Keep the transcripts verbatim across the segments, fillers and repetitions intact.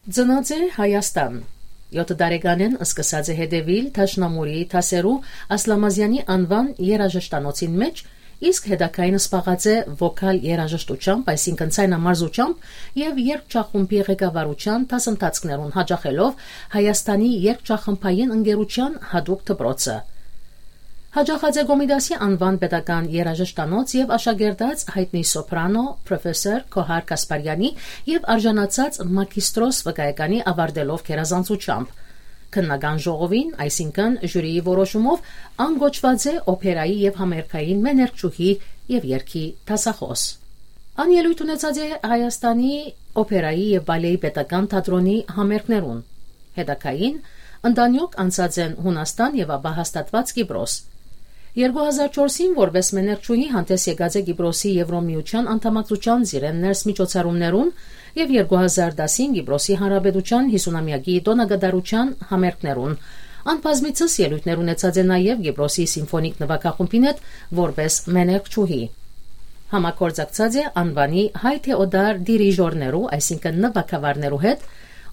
Ծնած է Հայաստան։ Եօթ տարեկանէն սկսած է հետեւիլ Դաշնամուրի դասերու Ասլամազեանի անուան երաժշտանոցին մէջ, իսկ հետագային զբաղած է վոկալ երաժշտությամբ, այսինքն՝ ցայնամարզությամբ, եւ երգչախումբի ղեկավարութեան դասընթացքներուն, յաճախելով Հայաստանի երգչախմբային ընկերութեան յատուկ դպրոցը։ Յաճախած է Կոմիտասի անուան պետական երաժշտանոց եւ աշակերտած յայտնի սոփրանո պրոֆեսոր Գոհար Գասպարեանի եւ արժանացած մագիստրոս վկայականի, ավարտելով գերազանցությամբ։ Քննական ժողովին, այսինքն՝ ժյուրիի որոշումով, ան կոչուած է օփերայի եւ համերգային մեներգչուհի եւ երգի դասախոս։ Ան ելոյթ ունեցած է Հայաստանի օփերայի եւ բալեի պետական թատրոնի համերգներուն։ Հետագային ընտանիոք անցած են Յունաստան եւ ապա հաստատուած Կիպրոս։ Երկու հազար չորսին որպէս մեներգչուհի հանդէս եկած է Կիպրոսի Եվրոմիութեան անդամակցութեան զիրեն ներս միջոցառումներուն եւ երկու հազար տասին Կիպրոսի Հանրապետութեան յիսունամեակի տօնակատարութեան համերգներուն։ Ան բազմիցս ելոյթներ ունեցած է նաեւ Կիպրոսի սիմֆոնիկ նուագախումբին հետ որպէս մեներգչուհի։ Համագործակցած է անուանի հայ թէ օտար դիրիժորներու, այսինքն՝ նուագավարներու հետ,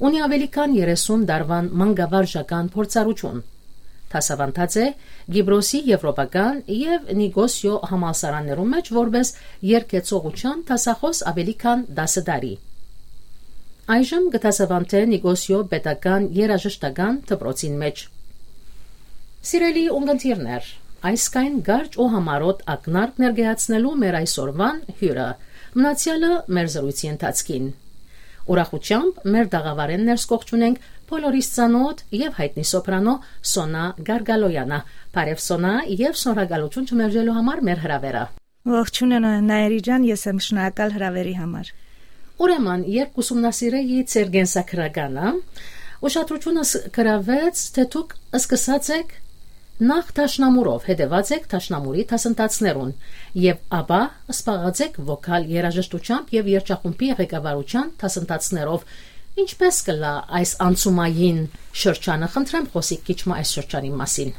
ունի աւելի քան երեսուն տարուան մանկավարժական փորձառութիւն։ Դասաւանդած է Կիպրոսի եվրոպական եւ Նիկոսիոյ համալսարաններու մէջ որպէս երգեցողութեան դասախոս աւելի քան տասը տարի։ Այժմ կը դասաւանդէ Նիկոսիոյ պետական երաժշտական դպրոցին մէջ։ Սիրելի ունգընտիրներ, այսքան կարճ ու համառոտ ակնարկ ներկայացնելու մեր այսօրուան հիւրը, մնացեալը մեր զրոյցի ընթացքին։ Ուրախութեամբ մեր տաղաւարէն ներս կ'ողջունենք բոլորիս ծանօթ եւ յայտնի սոփրանո Սոնա Գարգալոյանը։ Բարեւ, Սոնա, եւ շնորհակալութիւն չմերժելու համար մեր հրաւերը։ Ողջունը, Նայիրի ջան, ես եմ շնորհակալ հրավերի համար։ Ուրեմն, երբ կ'ուսումնասիրէի ձեր կենսագրականը, ուշադրութիւնս գրաւեց, թէ դուք սկսած էք նախ դաշնամուրով, հետեւած էք դաշնամուրի դասընթացներուն եւ ապա զբաղած էք վոկալ երաժշտությամբ եւ երգչախումբի ղեկավարութեան դասընթացներով։ Ինչպէս կ'ըլլայ այս անցումային շրջանը, խնդրեմ, խօսիք քիչ մը այս շրջանի մասին։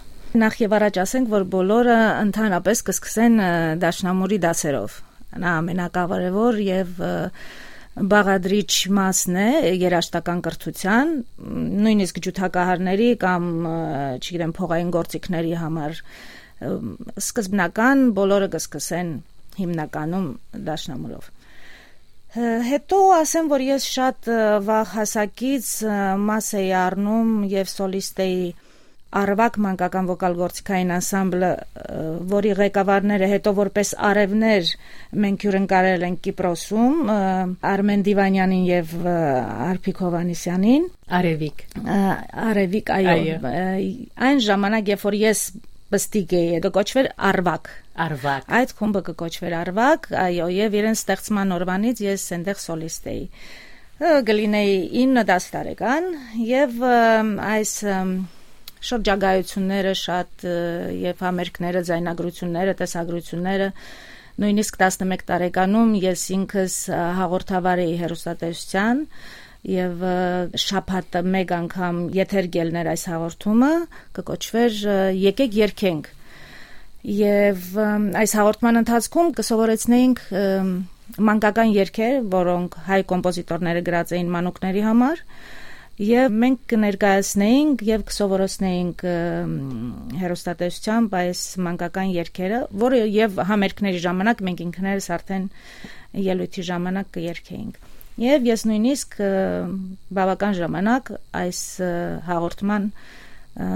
Նախ եւ առաջ ասենք, որ բոլորը ընդհանրապես կը սկսեն, ը, դաշնամուրի դասերով։ Նա ամենակարեւոր եւ, ը, բաղադրիչ մասն է երաժշտական կրթութեան, նոյնիսկ ջութակահարների կամ, ը, չգիտեմ, փողային գործիքների համար, ը, սկզբնական բոլորը կը սկսեն հիմնականում դաշնամուրով։ Ը, հետո ասեմ, որ ես շատ, ը, վաղ հասակից, ը, մաս էի առնում եւ սոլիստ էի Արվակ մանկական վոկալ գործիքային անսամբլը, ը, որի ղեկավարները հետո որպես արեւներ մենք հիւրընկալել ենք Կիպրոսում, ը, Արմեն Դիվանյանին եւ, ը, Արփիկ Հովհաննիսյանին։ Արեւիկ։ Ա, Արեւիկ, այո։ Այո։ Ը, այն ժամանակ, երբ որ ես պստիկ էի, կը կոչուէր Արվակ։ Արվակ։ Այդ խումբը կը կոչուէր Արվակ, այո, եւ իրենց ստեղծման օրուանից ես այնտեղ սոլիստ էի։ Ը, կը լինէի ինը-տաս տարեկան, եւ, ը, այս, ը, շրջագայությունները շատ, ը, եւ համերգները, ձայնագրությունները, տեսագրությունները, նոյնիսկ տասնմեկ տարեկանում ես ինքս, ը, հաղորդավար էի հեռուստատեսության եւ, ը, շաբաթը մեկ անգամ եթեր կ'ելնէր այս հաղորդումը, կը կոչուէր, ը, «Եկեք երգենք»։ Եւ, ը, այս հաղորդման ընթացքում կը սովորեցնեինք, ը, մանկական երգեր, որոնք հայ կոմպոզիտորները գրած էին մանուկների համար, եւ մենք կը ներկայացնեինք եւ կը սովորեցնեինք, ը, հեռուստատեսությամբ այս մանկական երգերը, որը եւ համերգների ժամանակ մենք ինքներս արդեն ելոյթի ժամանակ կը երգեինք։ Եւ ես նոյնիսկ, ը, բաւական ժամանակ այս, ը, հաղորդման, ը,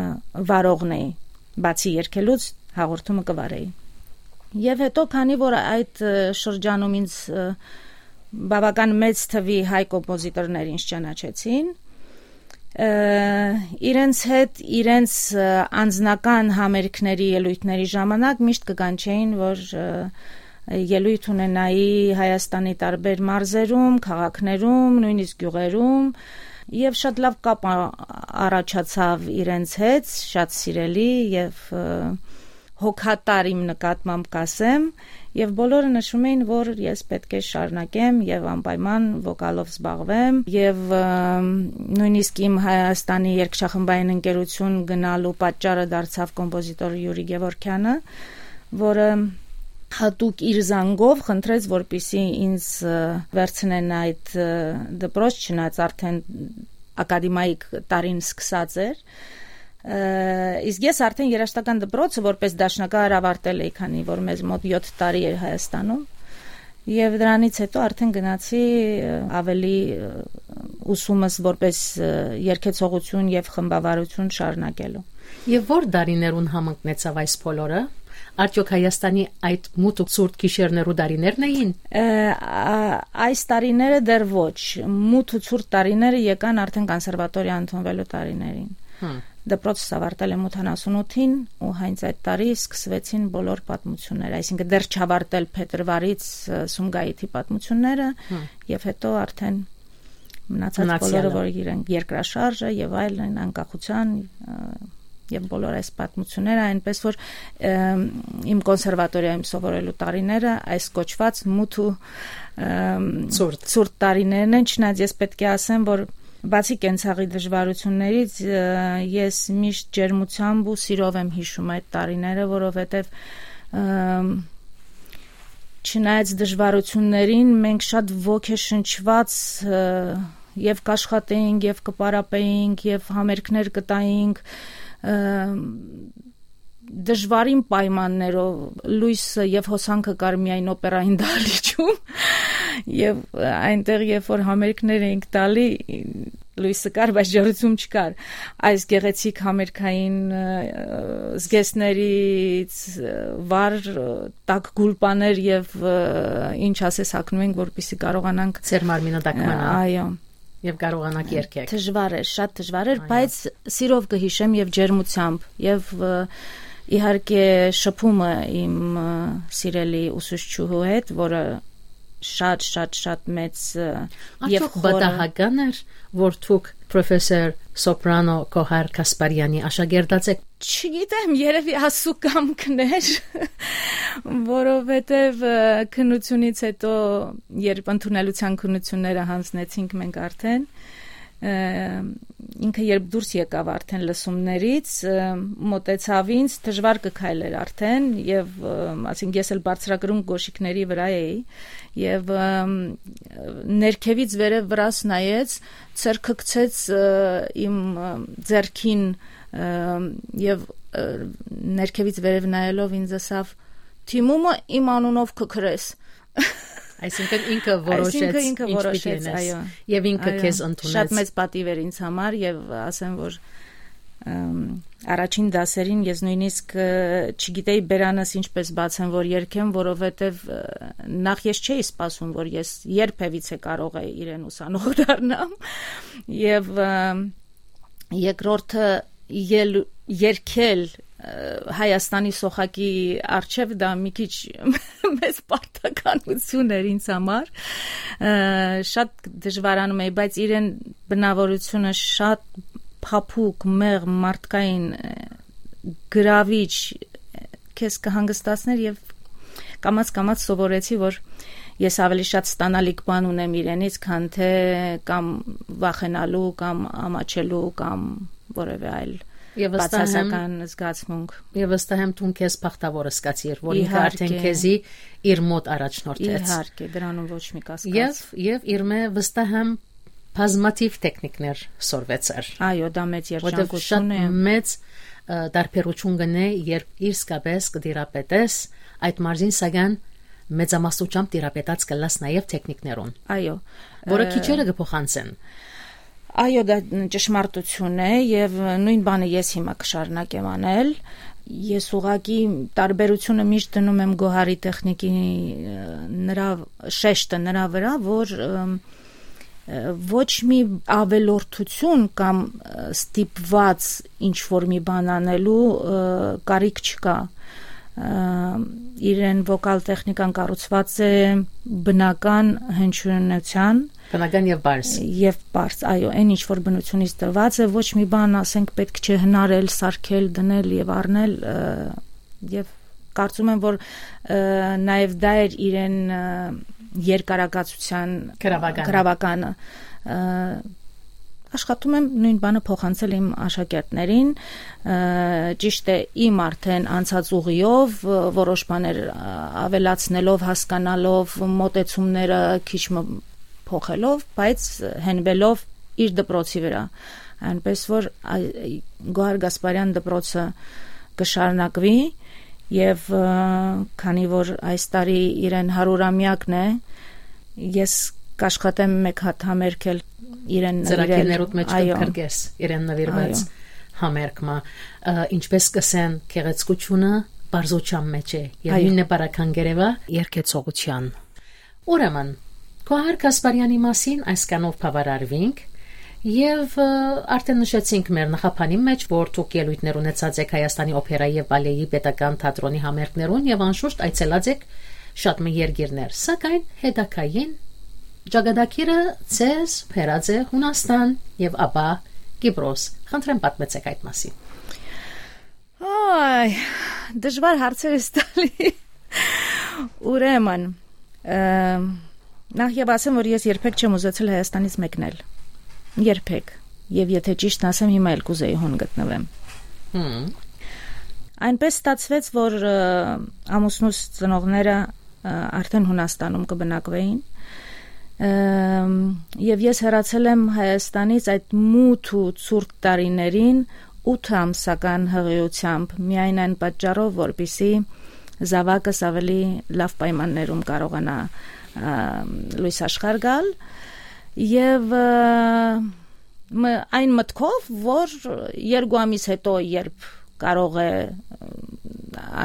վարողն էի, բացի երգելուց հաղորդումը կը վարէի։ Եւ հետո, քանի որ այդ, ը, շրջանում ինձ, ը, բաւական մեծ թուի հայ կոմպոզիտորներ ինձ ճանաչեցին, ը, իրենց հետ, իրենց, ը, անձնական համերգների, ելոյթների ժամանակ միշտ կը կանչէին, որ, ը, ելոյթ ունենայի Հայաստանի տարբեր մարզերում, քաղաքներում, նոյնիսկ գիւղերում, եւ շատ լաւ կապ ա-, առաջացաւ իրենց հետ, շատ սիրելի եւ, ը, հոգատար իմ նկատմամբ կ'ասեմ, եւ բոլորը նշում էին, որ ես պէտք է շարունակեմ եւ անպայման վոկալով զբաղվեմ, եւ, ը, նոյնիսկ իմ Հայաստանի երգչախմբային ընկերություն գնալու պատճառը դարձաւ կոմպոզիտոր Յուրի Գևորգեանը, որը յատուկ իր զանգով խնդրեց, որպեսզի ինձ, ը, վերցնեն այդ, ը, դպրոց, չնայած արդեն ակադեմիայ տարին սկսած էր։ Ը, իսկ ես արդեն երաժշտական դպրոցը որպես դաշնակահար ավարտել էի, քանի որ մեզ մոտ յոթ տարի էր Հայաստանում։ Եւ դրանից հետո արդեն գնացի, ը, ավելի, ը, ուսումս որպես, ը, երգեցողություն եւ խմբավարություն շարունակելու։ Եւ ո՞ր տարիներուն համընկնեցաւ այս բոլորը։ Արդյոք Հայաստանի այդ մութ ու ցուրտ գիշերներու տարիներն էին։ Ը, ա, այս տարիները դեռ ոչ, մութ ու ցուրտ տարիները եկան արդեն կոնսերվատորիա ընդունվելու տարիներին։ Հմ։ Դպրոցս ավարտել եմ ութանասունութին ու հենց այդ տարի սկսվեցին բոլոր պատմությունները, այսինքն դեռ չավարտել փետրվարից, ը, Սումգայիթի պատմությունները, հմ, եւ հետո արդեն մնացած մնացյալը, բոլորը, որ իրենք երկրաշարժը եւ այլն, անկախության, ը, եւ բոլոր այս պատմությունները, այնպես որ, ը, իմ կոնսերվատորիայում սովորելու տարիները այս կոչված մութ ու, ը, ցուրտ, ցուրտ տարիներն են, չնայած ես պետք է ասեմ, որ բացի կենցաղի դժվարություններից, ը, ես միշտ ջերմությամբ ու սիրով եմ հիշում այդ տարիները, որովհետեւ, ը, չնայած դժվարություններին, մենք շատ ոգեշնչված, ը, եւ կաշխատեինք, եւ կպարապեինք, եւ համերգներ կտայինք, ը, դժվարին պայմաններով, լոյսը եւ հոսանքը կար միայն օպերային դահլիճում, եւ, ը, այնտեղ, երբ որ համերգներ էինք տալի, լոյսը կար, բայց ջերմություն չկար։ Այս գեղեցիկ համերգային, ը, զգեստներից, ը, վառ, ը, տաք գուլպաներ եւ, ը, ինչ ասես, հագնում ենք, որպեսզի կարողանանք ձեր մարմինը տաքմանա։ Ա, այո։ Եւ կարողանաք երգել։ Դժվար էր, շատ դժվար էր, այո, բայց սիրով կհիշեմ եւ ջերմությամբ, եւ, ը, իհարկե շփումը իմ, ը, սիրելի ուսուցչուհու հետ, որը շատ, շատ, շատ մեծ, ը, եւ Արդյոք խորը պատահական էր, որ դուք պրոֆեսոր սոպրանո Գոհար Գասպարյանի աշակերտած եք։ Չգիտեմ, երևի ասու կամքն էր, որովհետև, ը, քննությունից հետո, երբ ընդունելության քննությունները հանձնեցինք մենք արդեն, ը, ինքը երբ դուրս եկավ արդեն լսումներից, ը, մոտեցավ ինձ, դժվար կը քայլեր արդեն, եւ, ը, ասենք, ես էլ բարձրակրուն կոշիկների վրա էի, եւ, ը, ներքևից վերև վրաս նայեց, ձեռքը գցեց, ը, իմ, ը, ձեռքին, ը, եւ, ը, ներքևից վերև նայելով ինձ ասավ. «Դիմումը իմ անունով կը գրես»։ Այսինքն ինքը որոշեց, այսինքն ինքը ինչ պիտի որոշեց, անես, այո։ Եվ ինքը, այո, քեզ ընդունեց։ Շատ մեծ պատիվ էր ինձ համար, եւ ասեմ, որ, ըմ, առաջին դասերին ես նույնիսկ, ը, չգիտեի բերանս ինչպես բացեմ, որ երգեմ, որովհետև, ը, նախ ես չէի սպասում, որ ես երբևիցե կարող է իրեն ուսանող դառնամ, եւ, ը, երկրորդը ել-, երգել, ը, Հայաստանի սոխակի առջև, դա մի քիչ մեծ պարտականություն էր ինձ համար։ Ը, շատ դժվարանում էի, բայց իրեն բնավորությունը շատ փափուկ, մեղմ, մարդկային, ը, գրավիչ, ը, քեզ կհանգստացներ, եւ կամաց-կամաց սովորեցի, որ ես ավելի շատ ստանալիք բան ունեմ իրենից, քան թե կամ վախենալու, կամ ամաչելու, կամ որևէ այլ Եվ վստահ եմ, բացասական զգացմունք։ Եվ վստահ եմ, դուն քեզ բախտավոր զգացիր, որ ինքը արդեն Իհարկե։ քեզի իր մոտ առաջնորդեց։ Իհարկե, դրանում ոչ մի կասկած։ Եվ, եւ իր մե վստահ եմ բազմաթիվ տեխնիկներ սորվեցար։ Այո, դա մեծ Որտեւ երջանկություն շատ է։ մեծ, ը, տարբերություն կնե, երբ իսկապես կտիրապետես այդ մարզին, սակայն մեծամասնությամբ տիրապետած կլաս նաև տեխնիկներուն, Այո։ որը Ը, քիչերը կփոխանցեն։ Այո, դա ճշմարտություն է, եւ նույն բանը ես հիմա կշարունակեմ անել։ Ես ուղղակի տարբերությունը միշտ դնում եմ Գոհարի տեխնիկի, ը, նրա շեշտը նրա վրա, որ, ըմ, ը, ոչ մի ավելորդություն կամ, ը, ստիպված ինչ-որ մի բան անելու, ը, կարիք չկա։ Ը, իրեն վոկալ տեխնիկան կառուցված է բնական հնչյունության Բնական եւ պարզ։ Եւ պարզ, այո, այն ինչ որ բնությունից տրված է, ոչ մի բան, ասենք, պետք չէ հնարել, սարքել, դնել եւ առնել, ը, եւ կարծում եմ, որ, ը, նաև դա էր իրեն, ը, երկարակացության Գրավականը։ գրավականը, ը, աշխատում եմ նոյն բանը փոխանցել իմ աշակերտներին, ը, ճիշդ է, իմ արդէն անցած ուղիով, ը, որոշ բաներ, ը, աւելացնելով, հասկանալով, մոտեցումները քիչ մը փոխելով, բայց հենուելով իր դպրոցի վրա։ Այնպես որ, այ, Գոհար Գասպարեան դպրոցը կը շարունակուի եւ, ը, քանի որ այս տարի իրեն հարիւրամեակն է, ես կաշխատեմ մէկ հատ համերգել իրեն նուիրել։ Ծրագիրներուդ մէջ Այո։ կընկրկես իրեն նուիրուած Այո։ համերգ մը, ը, ինչպես կ'ըսեն, գեղեցկությունը պարզութեան մէջ է, եւ Այո։ նոյնն է Պարագան Կերեւայ երգեցողութեան։ Ուրեմն, Գոհար Գասպարեանի մասին այսքանով բաւարարուինք, եւ, ը, արդէն նշեցինք մեր նախաբանին մէջ, որ դուք ելոյթներ ունեցած էք Հայաստանի օփերայի եւ պալեի պետական թատրոնի համերգներուն եւ անշուշտ այցելած էք շատ մը երկիրներ, սակայն հետագային ճակատագիրը ձեզ բերած է Յունաստան եւ ապա Կիպրոս։ Խնդրեմ, պատմեցեք այդ մասին։ Այ, դժուար հարցեր ես տալի։ Ուրեմն, ը, նախ եւ ասեմ, որ ես երբեք չեմ ուզեցել Հայաստանից մեկնել։ Երբեք։ Եւ եթե ճիշդն ասեմ, հիմա էլ կուզեի հոն գտնվեմ։ Հմ։ Այնպես ստացվեց, որ, ը, ամուսնուս ծնողները, ը, արդեն Յունաստանում կը բնակվեին։ Ըմ, եւ ես հեռացել եմ Հայաստանից այդ մութ ու ցուրտ տարիներին ութ ամսական հղիությամբ, միայն այն պատճառով, որպեսզի զաւակս ավելի լաւ պայմաններում կարողանայ, ը, լոյս աշխարհ գալ։ Եւ, ը, մը-, այն մտքով, որ երկու ամիս հետո, երբ կարող է, ը,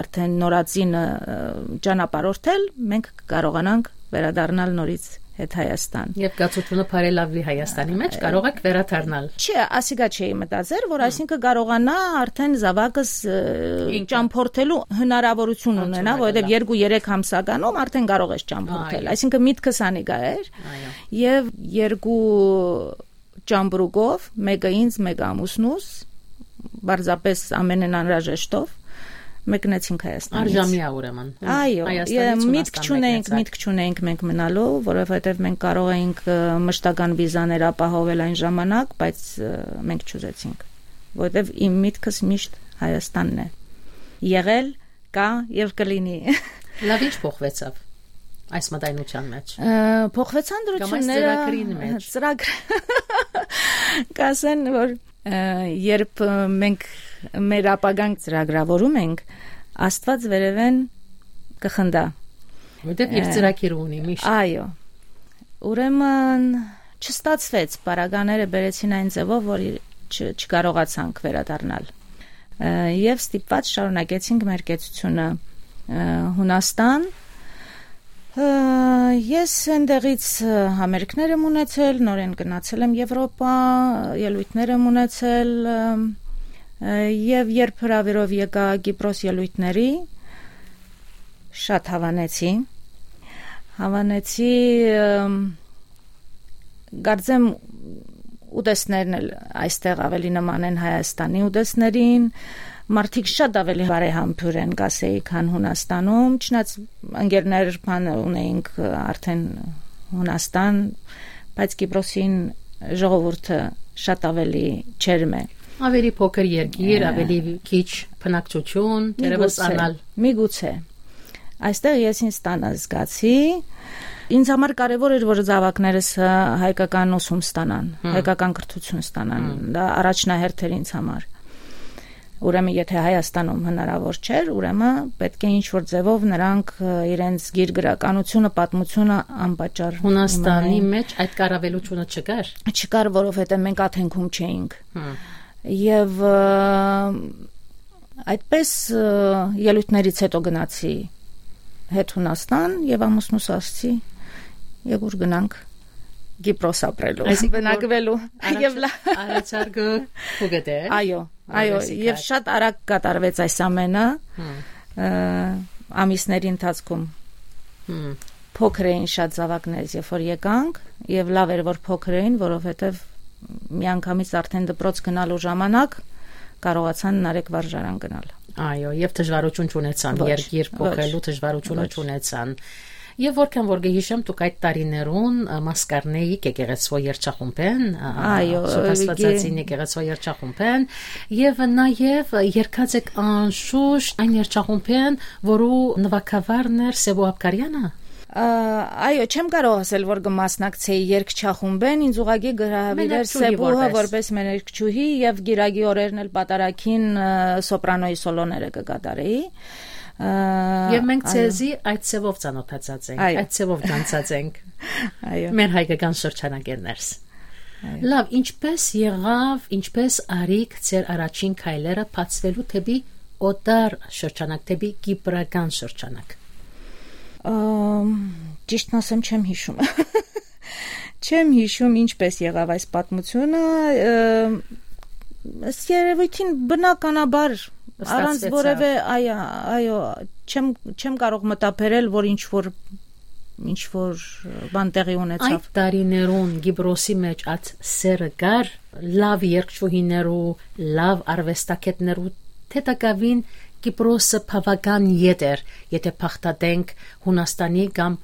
արդեն նորածինը, ը, ճանապարհորդել, մենք կկարողանանք վերադառնալ նորից հետ Հայաստան։ Երբ կացությունը բարելավի Հայաստանի մեջ, Ա, կարող եք վերադառնալ։ Չէ, ասիկա չէի մտածեր, որ Հմ։ այսինքն կարողանայ արդեն զաւակս, ը, Ինքը։ ճամփորդելու հնարավորություն Հնարավորություն ունենա, որովհետեւ ունենա։ երկու-երեք ամսականում արդեն կարող ես ճամփորդել։ Այո։ Այսինքն միտքս անիկա էր։ Այո։ Եւ երկու ճամբրուկով, մէկը ինձ, մէկը ամուսնուս, պարզապէս ամենէն անհրաժեշտով, մեկնեցինք Հայաստանից։ Արժանի է ուրեմն։ Այո, Հայաստանից եւ միտք Յունաստան չունենք, մեկնեցաք։ միտք չունենք մենք մնալու, որովհետեւ մենք կարող էինք, ը, մշտական վիզաներ ապահովել այն ժամանակ, բայց, ը, մենք չուզեցինք, որովհետեւ իմ միտքս միշտ Հայաստանն է եղել, կայ եւ կլինի։ Լավ, ի՞նչ փոխուեցաւ այս մտայնութեան մեջ։ Ը, փոխուեցան Կամ այս դրությունները, ծրագրին մեջ։ ծրագր-, կ'ասեն, որ, ը, երբ, ը, մենք մեր ապագան ծրագրավորում ենք, Աստուած վերեւէն կը խնդայ։ Որտեւ իր Ը, ծրագիրը ունի միշտ։ Այո։ Ուրեմն չստացվեց, պարագաները բերեցին այն ձևով, որ չ-, չկարողացանք վերադառնալ։ Ը, եւ ստիպված շարունակեցինք մեր կեցությունը, ը, Յունաստան։ Ը, ես այնտեղից, ը, համերգներ եմ ունեցել, նորէն գնացել եմ Եվրոպա, ելոյթներ եմ ունեցել, ը, ը, եւ երբ հրավերով եկայ Կիպրոս ելոյթների, շատ հաւանեցի։ Հաւանեցի, ը, կարծեմ, ուտեստներն էլ այստեղ ավելի նման են Հայաստանի ուտեստներին, մարդիկ շատ ավելի բարեհամբույր են, կ'ասեի, քան Յունաստանում, չնայած ընկերներ բան ունեինք արդեն Յունաստան, բայց Կիպրոսին ժողովուրդը շատ ավելի ջերմ է։ Ավելի փոքր երկիր, Ը, ավելի քիչ բնակչություն, թերևս Միգուցե, անալ։ միգուցե։ Այստեղ ես ինձ տանը զգացի։ Ինձ համար կարևոր էր, որ զաւակներս, ը, հայկական ուսում ստանան, Հմ։ հայկական կրթություն ստանան։ Հմ։ Դա առաջնահերթ էր ինձ համար։ Ուրեմն, եթե Հայաստանում հնարավոր չէր, ուրեմն պետք է ինչ-որ ձևով նրանք, ը, իրենց գիր գրականությունը, պատմությունը անպատճառ Հունաստանի իմանային։ մեջ այդ կառավելությունը չկար։ Չկար, որովհետեւ մենք աթենքում չէինք։ Հմ։ Եւ, ը, այդպես, ը, ելույթներից հետո գնացի հետ Հունաստան եւ ամուսնուս ասացի, «Եկ ուր գնանք Կիպրոս ապրելու, Այսինքն, որ բնակվելու»։ առաջ-, Եւ լա- առաջարկը փուգտ է։ Այո, այո, Արվեստի եւ կարգ։ շատ արագ կատարվեց այս ամենը, Հմ։ ը, ամիսների ընթացքում։ Հմ։ Փոքր էին շատ զաւակներս, երբ որ եկանք, եւ լավ էր, որ փոքր էին, որովհետեւ միանգամից արդեն դպրոց գնալու ժամանակ կարողացան Նարեկ վարժարան գնալ։ Այո, եւ դժվարություն չունեցան, Ոչ, երկիր փոխելու ոչ, դժվարությունը ոչ։ չունեցան։ Եւ որքան որ կը յիշեմ, դուք այդ տարիներուն, ը, մաս կ'առնէիք եկեղեցւոյ երգչախումբէն, ը, ը, Այո, Սուրբ Աստվածածին եկե- եկեղեցւոյ երգչախումբէն, եւ նաեւ երգած եք անշուշտ այն երգչախումբէն, որու նուագավարն էր Սեւո Աբգարեանը։ Ա, այո, չեմ կարող ասել, որ կը մասնակցեի երգչախումբէն, ինձ ուղղակի կը հրավիրէր Մեներկչուհի Սեբուհը որպես։ որպես մեներկչուհի, եւ գիրագի օրերն էլ պատարագին, ը, սոպրանոյի սոլոները կը կատարեի։ Ա, Եւ մենք այո։ ձեզի այդ ձևով ծանոթացած ենք, Այո։ այդ ձևով գանցած ենք։ Այո։ Մեր հայկական շրջանակէն ներս։ Այո։ Լավ, ինչպես եղաւ, ինչպես արիք ձեր առաջին քայլերը բացվելու դեպի օտար շրջանակ, դեպի կիպրական շրջանակ։ Ամ, ճիշդն ասեմ, չեմ հիշում։ Չեմ հիշում ինչպես եղաւ այս պատմությունը, ը, ըստ երևույթին բնականաբար, առանց Ստացվեցաւ։ որևէ, այ-, այո, չեմ, չեմ կարող մտաբերել, որ ինչ-որ, ինչ-որ բան տեղի ունեցաւ։ Այդ տարիներուն Կիպրոսի մէջ այդ սերը կար, լավ երգչուհիներու, լավ արուեստագետներու, թէ տակաւին Կիպրոսը բաւական ետ էր, եթե բաղդատենք Հունաստանի կամ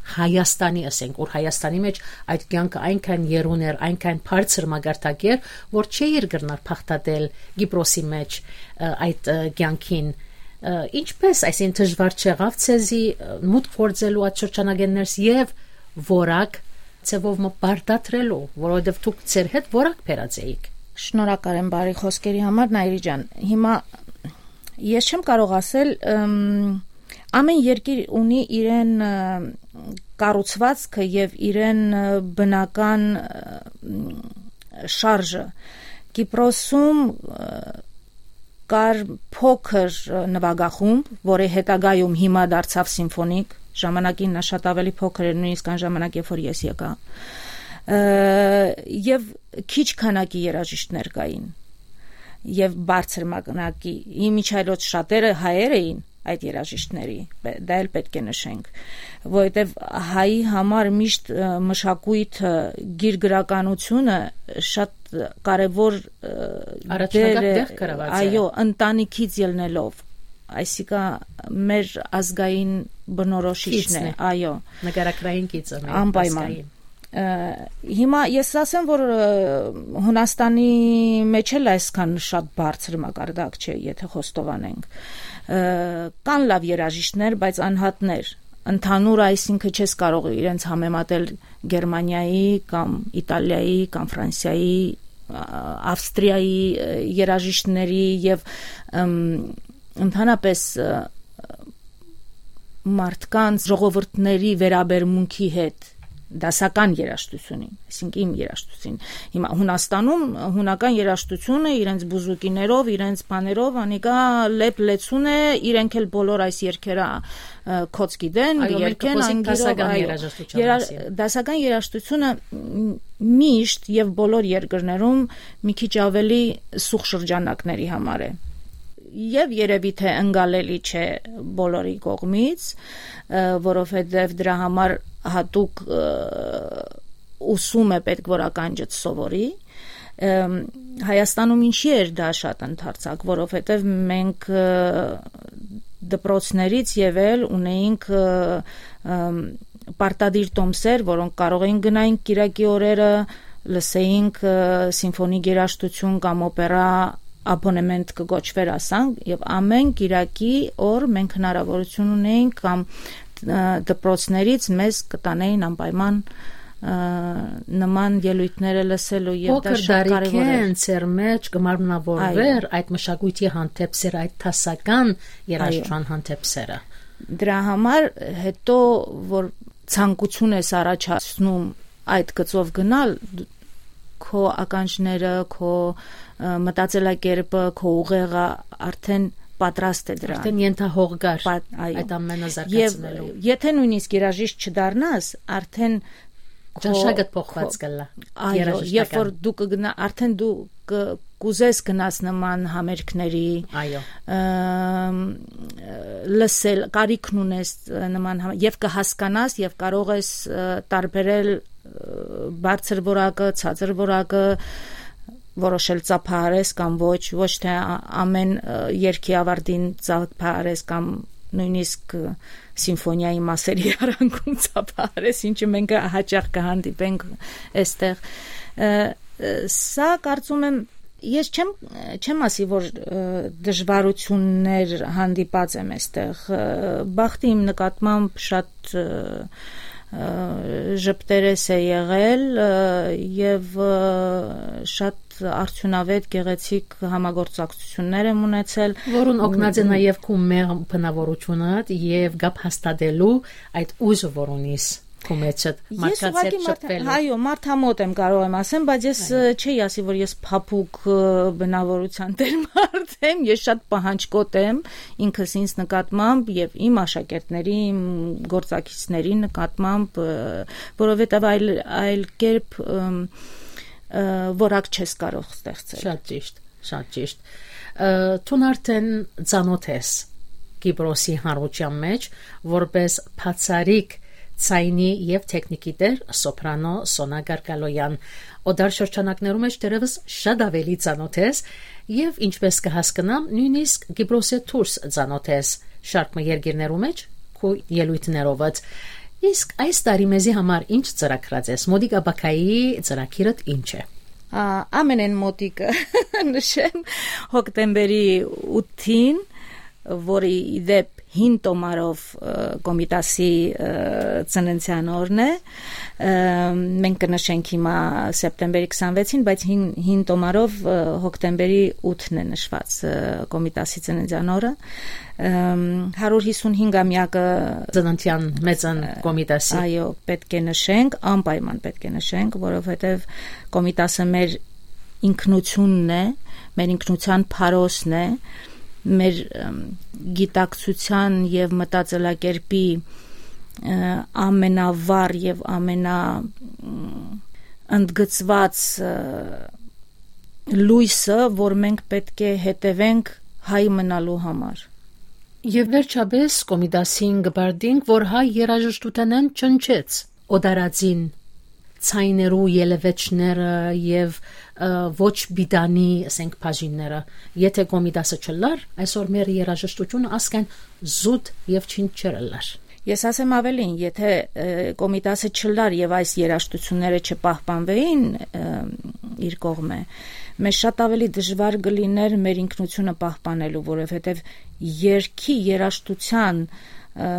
Հայաստանի, ասենք, որ Հայաստանի մէջ այդ կեանքը այնքան եռուն էր, այնքան բարձր մակարդակ էր, որ չէիր կրնար բաղդատել Կիպրոսի մէջ, ը, այդ, ը, կեանքին, ը, ինչպես, այսինքն, դժուար չեղաւ ձեզի, ը, մուտք գործելու այդ շրջանակէն ներս եւ որակ ձեւով մը պարտադրելու, որովհետեւ դուք ձեր հետ որակ բերած էիք։ Շնորհակալ եմ բարի խոսքերի համար, Նայիրի ջան։ Հիմա ես չեմ կարող ասել, ըմ, ամեն երկիր ունի իրեն, ը, կառուցվածքը եւ իրեն, ը, բնական, ը, շարժը։ Կիպրոսում, ը, կար փոքր, ը, նվագախումբ, որը հետագայում հիմա դարձաւ սիմֆոնիկ, ժամանակին նա շատ ավելի փոքր էր, նույնիսկ այն ժամանակ, երբ որ ես եկայ։ Ը, եւ քիչ քանակի երաժիշտներ կային, եւ բարձր մակնակի, ի միջայլոց շատերը հայեր էին այդ երաժիշտների, պէ-, դա էլ պէտք է նշենք, որովհետեւ հայի համար միշտ, ը, մշակոյթը, գիրգրականությունը շատ կարեւոր, ը, Առաջնական դեր է, տեղ կրաւած է։ այո, ընտանիքից ելնելով, այսինքն մեր ազգային բնորոշիչն է, Կիցն է։ այո։ Նկարագրային կիցը մեր Անպայման։ ազգային։ Ը, հիմա ես ասեմ, որ, ը, Հունաստանի մեջ էլ այսքան շատ բարձր մակարդակ չէ, եթե խոստովանենք։ Ը, կան լավ երաժիշտներ, բայց անհատներ, ընդհանուր, այսինքն չես կարող իրենց համեմատել Գերմանիայի կամ Իտալիայի կամ Ֆրանսիայի, ա, Ավստրիայի, ը, երաժիշտների եւ, ըմ, ընդհանրապես, ը, մարդկանց, ժողովուրդների վերաբերմունքի հետ դասական երաժշտությունին, այսինքն իմ երաժշտությունին։ Հիմա Հունաստանում հունական երաժշտությունը իրենց բուզուկիներով, իրենց բաներով, անիկա լեփ լեցուն է, իրենք էլ բոլոր այս երգերը, ը, կոչ գիտեն, Այո, մենք կերգեն կխոսենք անգիրով, դասական այո։ երաժշտության Երա-, մասին։ դասական երաժշտությունը, մ-, միշտ եւ բոլոր երկրներում մի քիչ ավելի սուղ շրջանակների համար է։ Եւ երևի թե ընկալելի չէ բոլորի կողմից, ը, որովհետեւ դրա համար հատուկ, ը, ուսում է պետք որ ականջդ սովորի։ Ըմ, Հայաստանում ինչի՞ էր դա շատ ընդարձակ, որովհետեւ մենք, ը, դպրոցներից ևել ունեինք, ը, ըմ, պարտադիր տոմսեր, որոնք կարող էինք գնայինք կիրակի օրերը, լսեինք, ը, սիմֆոնիկ երաժշտություն կամ օպերա, աբոնեմենտ կը կոչվեր, ասանք, եւ ամեն կիրակի օր մենք հնարավորություն ունեինք կամ, ը, դպրոցներից մեզ կտանեին անպայման, ը, նման ելոյթները լսելու, եւ դա Փոքր շատ կարեւոր էր։ տարիքէն ձեր մեջ կը մարմնավորվեր Այո։ այդ մշակույթի հանդեպ սեր, այդ դասական երաժշտության Այո։ հանդեպ սերը։ Դրա համար հետո, որ ցանկություն ես առաջացնում այդ գծով գնալ, քո ականջները, քո, ը, մտածելակերպը, քո ուղեղը արդեն պատրաստ է դրան։ Արդեն ենթահող կար Պա-, այո։ այդ ամենը Եվ զարգացնելու։ եթե նույնիսկ երաժիշտ չդառնաս, արդեն քո Ճաշակդ փոխված քո կլա, Այո, երաժշտական։ երբ որ դու կգնա-, արդեն դու կ-, կուզես գնաս նման համերգների, Այո։ ըմ, լսել, կարիքն ունես, ը, նման համ-, եւ կհասկանաս, եւ կարող ես, ը, տարբերել, ը, բարձր որակը, ցածր որակը, որոշել ծափահարես կամ ոչ, ոչ թե ա-, ամեն, ը, երգի ավարտին ծափահարես կամ նոյնիսկ, ը, սիմֆոնիայի մասերի արանքում ծափահարես, ինչը մենք հաճախ կը հանդիպենք էստեղ։ Ը, ը, սա կարծում եմ, ես չեմ, չեմ ասի, որ, ը, դժվարություններ հանդիպած եմ էստեղ։ Ը, բախտը իմ նկատմամբ շատ, ը, ը, ժպտերես է եղել, ը, եւ, ը, շատ արդյունավետ, գեղեցիկ համագործակցություններ եմ ունեցել։ Որուն օգնած է Մ, նաև քու մեղմ բնավորությունդ եւ կապ հաստատելու այդ ուժը, որ ունիս քու մեջդ, Ես մարդկանց ուղղակի հետ մարդ-, շփվելու։ Այո, մարդամոտ եմ, կարող եմ ասեմ, բայց ես, Այո։ ը, չի ասի, որ ես փափուկ, ը, բնավորության տեր մարդ եմ, ես շատ պահանջկոտ եմ ինքս ինձ նկատմամբ եւ իմ աշակերտների, իմ գործակիցների նկատմամբ, ը, որովհետեւ այլ, այլ կերպ, ըմ, ը, որակ չես կարող ստեղծել։ Շատ ճիշտ, շատ ճիշտ։ Ը, դուն արդեն ծանոթ ես Կիպրոսի հանրության մեջ, որպես բացառիկ ձայնի եւ թեքնիկի տեր սոպրանո Սոնա Գարգալոյան։ Օտար շրջանակներու մեջ դեռեւս շատ ավելի ծանոթ ես եւ, ինչպես կը հասկնամ, նոյնիսկ Կիպրոսէ դուրս ծանոթ ես շարք մը երկիրներու մեջ քու ելոյթներովդ։ Իսկ այս տարի մեզի համար ինչ ծրագրած ես, մոտիկ ապագայի ծրագիրդ ինչ է։ Ա, ամենէն մոտիկը նշեմ հոկտեմբերի ութին, որը ի դեպ հին տոմարով, ը, Կոմիտասի, ը, ծննդյան օրն է։ Ը, մենք կը նշենք հիմա սեպտեմբերի քսանվեցին, բայց հին, հին տոմարով, ը, հոկտեմբերի ութն է նշված, ը, Կոմիտասի ծննդյան օրը։ Ըմ, հարյուր հիսուն հինգամեակը Ծննդյան մեծն Կոմիտասի։ Այո, պետք է նշենք, անպայման պետք է նշենք, որովհետև Կոմիտասը մեր ինքնությունն է, մեր ինքնության փարոսն է, մեր, ըմ, գիտակցության և մտածելակերպի, ը, ամենավառ և ամենա, ըմ, ընդգծված, ը, լոյսը, որ մենք պետք է հետևենք հայ մնալու համար։ Եվ վերջապես Կոմիտասին կը պարտինք, որ հայ երաժշտութենէն չնչեց օտարածին ձայներու ելեւէջները եւ, ը, ոչ պիտանի, ասենք, բաժինները։ Եթե Կոմիտասը չլար, այսօր մեր երաժշտությունը ասկան զուտ եւ չինչ չէր ըլլար։ Ես ասեմ ավելին, եթե, ը, Կոմիտասը չլար եւ այս երաժշտությունները չպահպանվեին, ը, իր կողմէ, մեզ շատ ավելի դժվար կլիներ մեր ինքնությունը պահպանելու, որովհետեւ երգի երաժշտության, ը,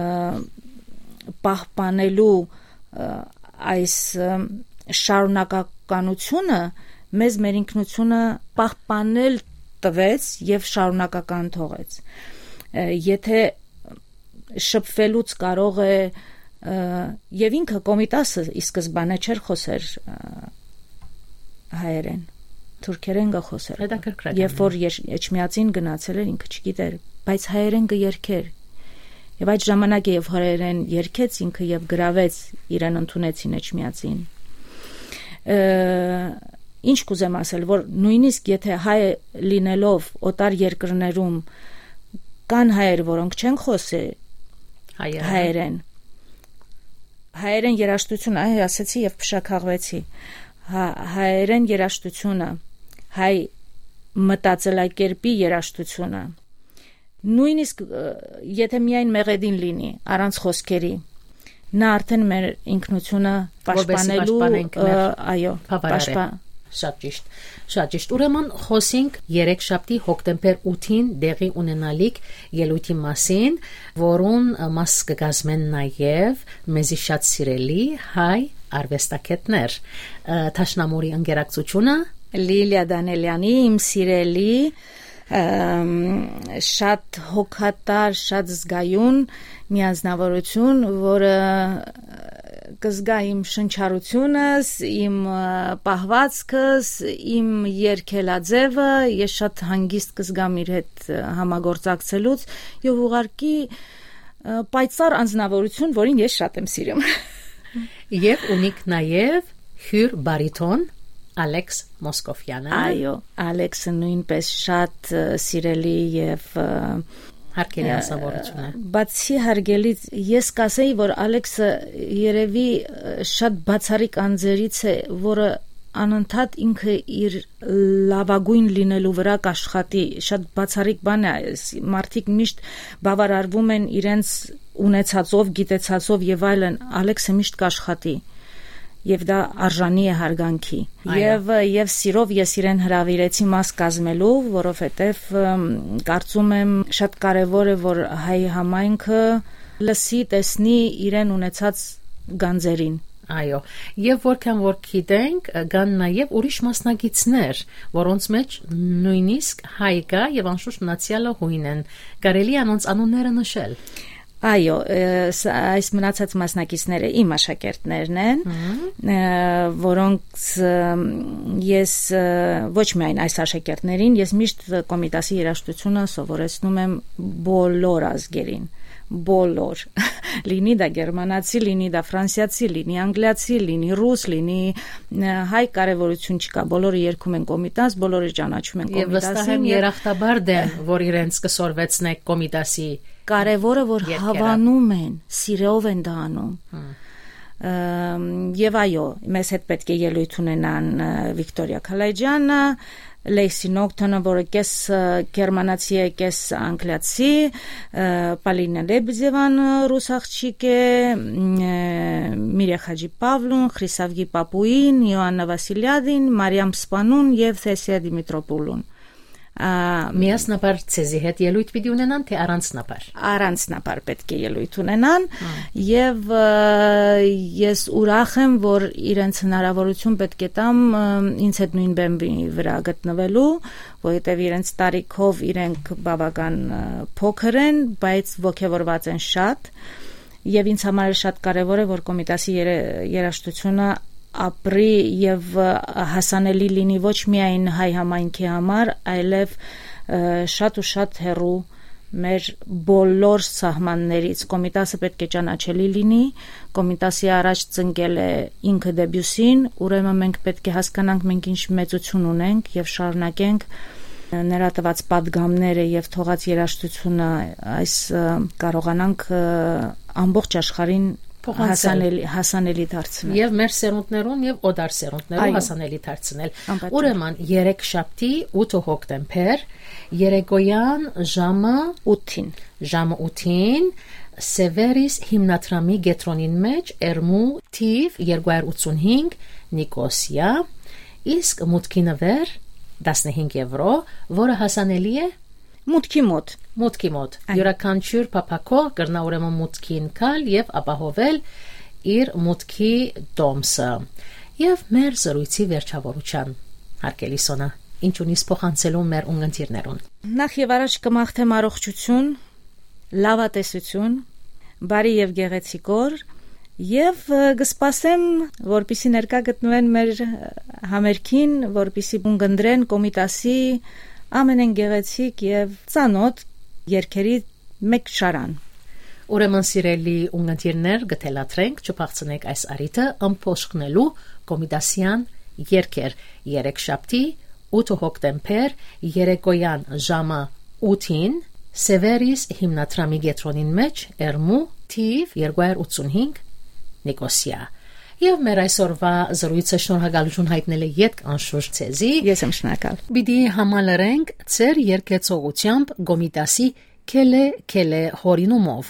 պահպանելու, ը, այս, ը, շարունակականությունը մեզ մեր ինքնությունը պահպանել տվեց եւ շարունակական թողեց։ Ը, եթե շփվելուց կարող է, ը, եւ ինքը Կոմիտասը ի սկզբանե չէր խոսեր, ը, հայերեն, թուրքերեն կը խոսեր։ Հետաքրքրական Երբ է։ որ եր-, Էջմիածին գնացել էր, ինքը չգիտեր, բայց հայերեն կը երգեր։ Եվ այդ ժամանակ է, երբ հայերեն երգեց ինքը եւ գրավեց, իրեն ընդունեցին Էջմիածին։ Ը, ինչ կուզեմ ասել, որ նույնիսկ եթե հայ լինելով օտար երկրներում կան հայեր, որոնք չեն խոսի Հայերեն։ հայերեն, հայերեն երաժշտությունը, այ ասեցի եւ փշաքաղվեցի, հա-, հայերեն երաժշտությունը, հայ մտածելակերպի երաժշտությունը, նույնիսկ, ը, եթե միայն մեղեդին լինի, առանց խոսքերի, նա արդեն մեր ինքնությունը Որպեսզի պաշտպանելու, պաշտպանենք ը, մեր այո, բավարար է։ պաշտպա-, Շատ ճիշտ, շատ ճիշտ։ Ուրեմն խոսենք երեքշաբթի հոկտեմբեր ութին տեղի ունենալիք ելույթի մասին, որուն, ը, մաս կկազմեն նաև մեզի շատ սիրելի հայ արվեստագետներ, ը, Դաշնամուրի ընկերակցությունը։ Լիլիա Դանելյանի, իմ սիրելի, ըմ, շատ հոգատար, շատ զգայուն մի անձնավորություն, որը կզգայ իմ շնչառությունս, իմ, ը, պահվածքս, իմ երգելաձևը, ես շատ հանգիստ կզգամ իր հետ, ը, համագործակցելուց, և ուղղակի, ը, պայծառ անձնավորություն, որին ես շատ եմ սիրում։ Եվ ունիք նաև հյուր բարիթոն Ալեքս Մոսկովյանը։ Այո, Ալեքսը նույնպես շատ, ը, սիրելի և, ը, Հարգելի ը, անձնավորություն է։ Բացի հարգելի, ես կասեի, որ Ալեքսը երևի, ը, շատ բացառիկ անձերից է, որը անընդհատ ինքը իր լաւագոյն լինելու վրայ կաշխատի։ Շատ բացառիկ բան է այս, մարդիկ միշտ բաւարարվում են իրենց ունեցածով, գիտեցածով եւ այլն, Ալեքսը միշտ կաշխատի, եւ դա արժանի է հարգանքի։ Այո։ Եւ, եւ սիրով ես իրեն հրավիրեցի մաս կազմելու, որովհետեւ, ըմ, կարծում եմ շատ կարեւոր է, որ հայ համայնքը լսի, տեսնի իրեն ունեցած գանձերին։ Այո, եւ որքան որ գիտենք, կան նաեւ ուրիշ մասնակիցներ, որոնց մեջ նոյնիսկ հայ կայ եւ անշուշտ մնացեալը հոյն են։ Կարելի է անոնց անունները նշել։ Այո, ը, ս-, այս մնացած մասնակիցները իմ աշակերտներն են, Մհմ։ ը, որոնք, ը, ես, ը, ոչ միայն այս աշակերտներին, ես միշտ Կոմիտասի երաժշտությունը սովորեցնում եմ բոլոր ազգերին, բոլոր, լինի դա գերմանացի, լինի դա ֆրանսիացի, լինի անգլիացի, լինի ռուս, լինի, ը, հայ, կարեւորություն չկա, բոլորը երգում են Կոմիտաս, բոլորը ճանաչում են Եւ վստահ Կոմիտասին, եմ, եւ երախտաբար դեն, որ իրենց կսորվեցնեք Կոմիտասի կարեւորը, որ երկերը։ Հավանում են, սիրով են դա անում։ Հմ։ Ըմ, եւ այո, մեզ հետ պէտք է ելոյթ ունենան, ը, Վիկտորիա Քալայջյանը, Լեյսի Նոկթոնը, որը կես, ը, գերմանացի է, կես անգլիացի, ը, Պալինա Լեբեդեվան, ը, ռուս աղջիկ է, մ, ը, Միրիա Խաչի Պավլուն, Խրիսավգի Պապուին, Յոաննա Վասիլիադին, Մարիամ Սպանուն եւ Թեսիա Դիմիտրոպուլուն։ Ա, Միասնաբար ձեզի հետ ելոյթ պիտի ունենան, թե առանձնաբար։ Առանձնաբար պէտք է ելոյթ ունենան, Հմ։ եւ, ը, ես ուրախ եմ, որ իրենց հնարավորություն պէտք է տամ, ը, ինձ հետ նոյն բեմի վրայ գտնվելու, որովհետեւ իրենց տարիքով իրենք բաւական, ը, փոքր են, բայց ոգեւորված են շատ, եւ ինձ համար շատ կարեւոր է, որ Կոմիտասի երե-, երաժշտությունը ապրի եւ, ը, հասանելի լինի ոչ միայն հայ համայնքի համար, այլեւ, ը, շատ ու շատ հեռու մեր բոլոր սահմաններից։ Կոմիտասը պէտք է ճանաչելի լինի, Կոմիտասի առաջ ծնկել է ինքը Դեբյուսին, ուրեմն մենք պէտք է հասկանանք, մենք ինչ մեծություն ունենք, եւ շարունակենք նրա տված պատգամները եւ թողած երաժշտությունը, այս, ը, կարողանանք, ը, ամբողջ աշխարհին Փոխանցել։ Հասանելի, հասանելի դարձնել։ Եւ մեր սերունդներուն, եւ օտար սերունդներուն Այո։ Հասանելի դարձնել։ Անպատճառ։ Ուրեմն, երեքշաբթի, ութը հոկտեմբեր, երեկոյան ժամը ութին։ Ժամը ութին, Սևերիս հիմնադրամի կեդրոնին մեջ, Էրմու թիվ երկու հարյուր ութսունհինգ, Նիկոսիա, իսկ մուտքի նվեր տասնհինգ եվրո, որը հասանելի է մուտքի մոտ։ Մուտքի մոտ։ Այո։ Յուրաքանչյուր փափաքող կրնա ուրեմն մուտքին գալ եւ ապահովել իր մուտքի տոմսը։ Եվ մեր զրույցի վերջավորության, հարգելի Սոնա, ինչ ունիս փոխանցելու մեր ունգընտիրներուն։ Նախ եւ առաջ կմաղթեմ առողջություն, լավատեսություն, բարի եւ գեղեցիկ օր, եւ, ը, կսպասեմ, որպեսզի ներկայ գտնվեն մեր, ը, համերգին, որպեսզի ունգընտրեն Կոմիտասի ամենեն գեղեցիկ եւ ծանոթ երգերի մէկ շարան։ Ուրեմն, սիրելի ունգընտիրներ, կը թելադրենք, չփախցնեք այս առիթը ըմբոշխնելու կոմիտասեան երգեր, երեքշաբթի, ութը հոկտեմբեր, երեկոյան ժամը ութին, Սևերիս հիմնադրամի կեդրոնին մեջ, Էրմու, թիվ երկու հարյուր ութսունհինգ, Նիկոսիա։ Եւ մեր այսօրվա զրույցը շնորհակալություն հայտնել է ետք անշուշտ ձեզի։ Ես եմ շնորհակալ։ Պիտի համալրենք ձեր երկեցողությամբ Կոմիտասի Քելե Քելե հորինումով։